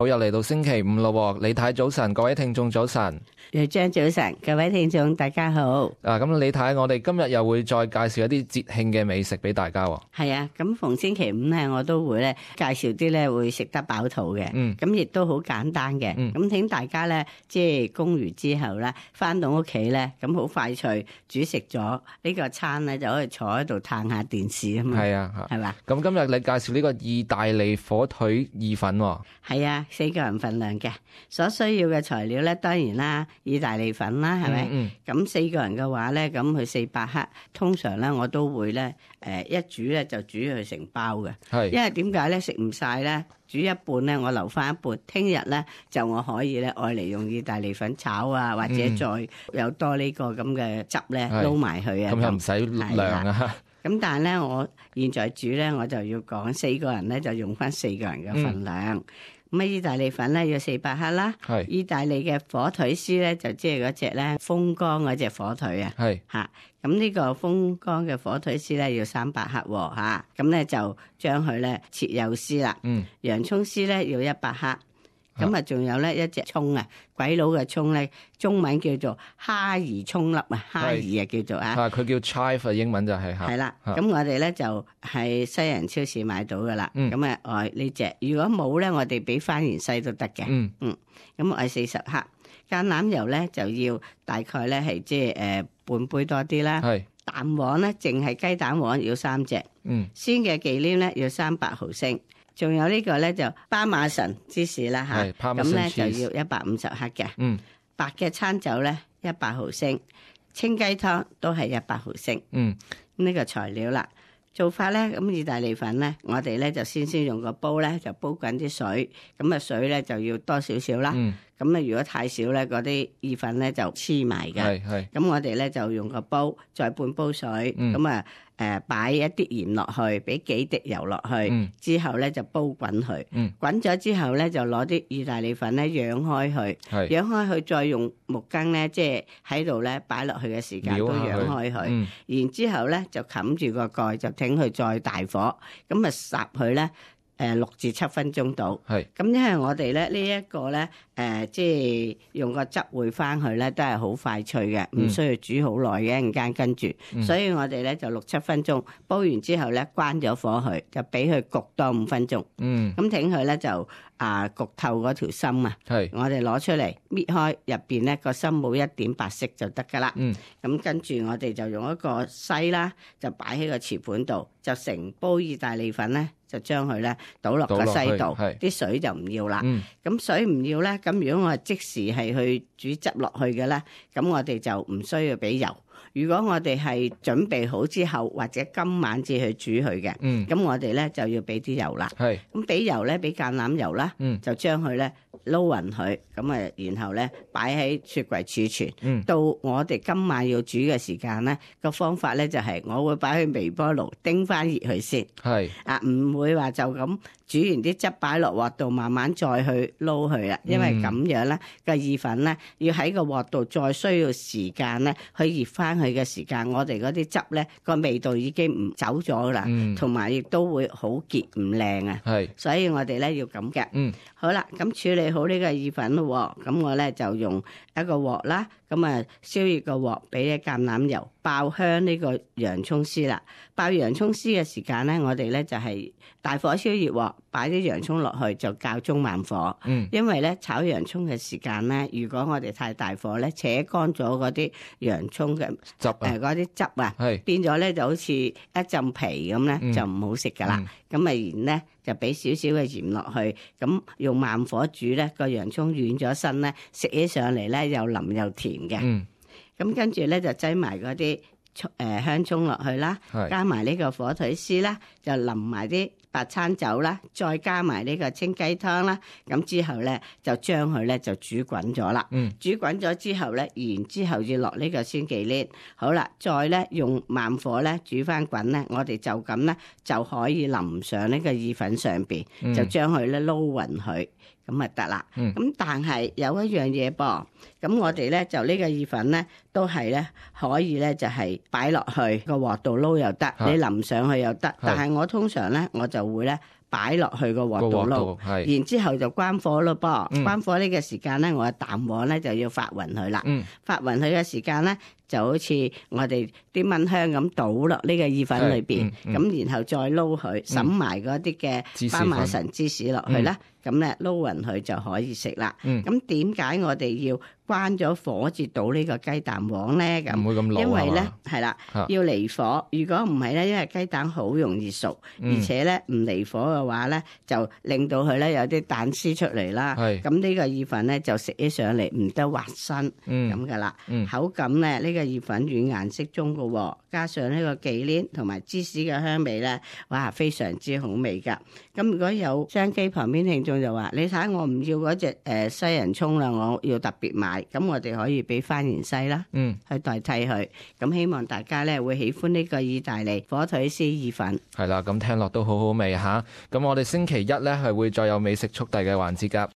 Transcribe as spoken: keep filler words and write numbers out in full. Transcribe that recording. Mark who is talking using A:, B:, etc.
A: 好，又嚟到星期五咯，李太早晨，各位聽眾早晨。
B: 楊張早晨，各位聽眾大家好。
A: 啊，咁李太，我哋今日又會再介紹一啲節慶嘅美食俾大家。
B: 係啊，咁逢星期五咧，我都會咧介紹啲咧會食得飽肚嘅。嗯，咁亦都好簡單嘅。嗯，咁請大家咧，即係供完之後咧，翻到屋企咧，咁好快脆煮食咗呢個餐咧，就可以坐喺度嘆下電視啊嘛。
A: 係啊，
B: 係嘛。
A: 咁今日你介紹呢個意大利火腿意粉。
B: 係啊，四個人份量嘅，所需要嘅材料咧，當然啦，意大利粉啦，係咪？嗯。咁四個人嘅話咧，咁佢四百克，通常咧我都會咧，誒一煮咧就煮佢成包嘅。係。因為點解咧？食唔晒咧，煮一半咧，我留翻一半，聽日咧就我可以咧愛嚟用意大利粉炒啊，或者再有多呢個咁嘅汁咧撈埋佢啊。咁
A: 又唔使量啊。
B: 咁但係咧，我現在煮咧，我就要講四個人咧就用翻四個人嘅份量。咁啊、嗯，意大利粉咧要四百克啦。係。意大利嘅火腿絲咧就即係嗰隻咧風乾嗰隻火腿啊。係。嚇，咁呢個風乾嘅火腿絲咧要三百克喎嚇。咁咧就將佢咧切幼絲啦。嗯。洋葱絲咧要一百克。咁啊，仲有咧一隻葱啊，鬼佬嘅葱咧，中文叫做哈兒葱粒啊，哈兒啊叫做啊，
A: 佢叫 chive， 英文就係嚇。
B: 係啦，咁我哋咧就喺西人超市買到噶啦，咁啊愛呢隻，如果冇咧，我哋俾番芫茜都得嘅。嗯嗯，咁愛四十克，橄欖油咧就要大概咧係即係誒半杯多啲啦。係。蛋黃咧，淨係雞蛋黃要三隻。嗯。鮮嘅忌廉咧要三百毫升。仲有呢個咧就巴馬臣芝士啦嚇，咁咧就要一百五十克嘅。嗯，白嘅餐酒咧一百毫升，清雞湯都係一百毫升。嗯，呢個材料啦，做法咧咁意大利粉咧，我哋咧就先先用個煲咧就煲滾啲水，咁啊水咧就要多少少啦。嗯，咁啊如果太少咧，嗰啲意粉咧就黐埋嘅。係係，咁我哋咧就用個煲再半煲水，咁啊。誒擺一啲鹽落去，俾幾滴油落去，嗯、之後咧就煲滾佢。嗯、滾咗之後咧就攞啲意大利粉咧揚開佢，揚是開佢再用木羹咧，即係喺度咧擺落去嘅時間都揚開佢。嗯、然之後咧就冚住個蓋，就等佢再大火，咁啊烚佢咧。誒六至七分鐘到，係咁，因為我哋咧呢一個咧誒，即係用個汁燴翻去咧，都係好快脆嘅，唔需要煮好耐嘅，一陣間跟住，所以我哋咧就六七分鐘煲完之後咧，關咗火去，就俾佢焗多五分鐘。嗯，咁整佢咧就啊焗透嗰條心啊，係我哋攞出嚟搣開入邊咧個心冇一點白色就得噶啦。嗯，咁跟住我哋就用一個篩啦，就擺喺個瓷盤度，就成煲意大利粉咧。就將佢咧倒落個篩度，啲水就唔要啦。咁、嗯、水唔要咧，咁如果我係即時係去煮汁落去嘅咧，咁我哋就唔需要俾油。如果我哋係準備好之後，或者今晚至去煮佢嘅，咁、嗯、我哋咧就要俾啲油啦。咁俾是油咧，俾橄欖油啦，嗯、就將佢咧撈勻佢，咁啊，然後咧擺喺雪櫃儲存。嗯、到我哋今晚要煮嘅時間咧，個方法咧就係我會擺去微波爐叮翻熱佢先。係是啊，唔會話就咁煮完啲汁擺落鑊度，慢慢再去撈佢啦。因為咁樣咧個意粉咧要喺個鑊度再需要時間咧去熱翻佢嘅時間，我哋嗰啲汁咧個味道已經唔走咗啦，同埋亦都會好結唔靚啊。係，所以我哋咧要咁嘅。嗯，好啦，咁處理好呢個意粉咯，咁我咧就用一個鑊啦，咁啊燒熱個鑊，俾啲橄欖油，爆香呢個洋葱絲啦。爆洋葱絲嘅時間咧，我哋咧就係大火燒熱鑊，擺啲洋葱落去就較中慢火。嗯，因為咧炒洋葱嘅時間咧，如果我哋太大火咧，扯乾咗嗰啲洋葱嘅汁誒嗰啲汁啊，係變咗咧就好似一浸皮咁咧，嗯、就唔好食噶啦。咁啊、嗯，然咧就俾少少嘅鹽落去，咁用慢火煮咧，個洋葱軟咗身咧，食起上嚟咧又腍又甜嘅。嗯，咁跟住咧就擠埋嗰啲誒香葱落去啦，是加埋呢個火腿絲啦，就淋埋啲白餐酒啦，再加埋呢個清雞湯啦，咁之後咧就將佢咧就煮滾咗啦。嗯，煮滾咗之後咧，然之後要落呢個鮮忌廉。好啦，再咧用慢火咧煮翻滾咧，我哋就咁咧就可以淋上呢個意粉上邊，嗯、就將佢咧撈勻佢。咁咪得啦，咁、嗯、但係有一樣嘢噃，咁我哋咧就呢個意粉咧都係咧可以咧就係擺落去個鑊度撈又得，啊、你淋上去又得，是但係我通常咧我就會咧擺落去個鑊度撈，然之後就關火咯噃。嗯、關火呢個時間咧，我嘅蛋黃咧就要發勻佢啦。嗯、發勻佢嘅時間咧，就好似我哋啲蚊香咁倒落呢個意粉裏邊，咁、嗯嗯、然後再撈佢，揼埋嗰啲嘅巴馬臣芝士落去啦。咁咧撈勻佢就可以食啦。咁點解我哋要關咗火至倒呢個雞蛋黃咧？咁
A: 唔會咁老啊嘛。
B: 因為咧係啦，要離火。如果唔係咧，因為雞蛋好容易熟，嗯、而且咧唔離火嘅話咧，就令到佢咧有啲蛋絲出嚟啦。咁呢是個意粉咧就食起上嚟唔得滑身咁噶啦。嗯、口感咧呢、呢個意粉軟硬適中嘅喎，加上呢個忌廉同埋芝士嘅香味咧，哇非常之好味噶。咁如果有商機旁邊聽眾就話：你睇我唔要嗰隻誒西洋葱啦，我要特別買。咁我哋可以俾番芫茜啦，嗯，去代替佢。咁希望大家咧會喜歡呢個意大利火腿絲意粉。
A: 係啦，咁聽落都好好味嚇。咁我哋星期一咧係會再有美食速遞嘅環節㗎。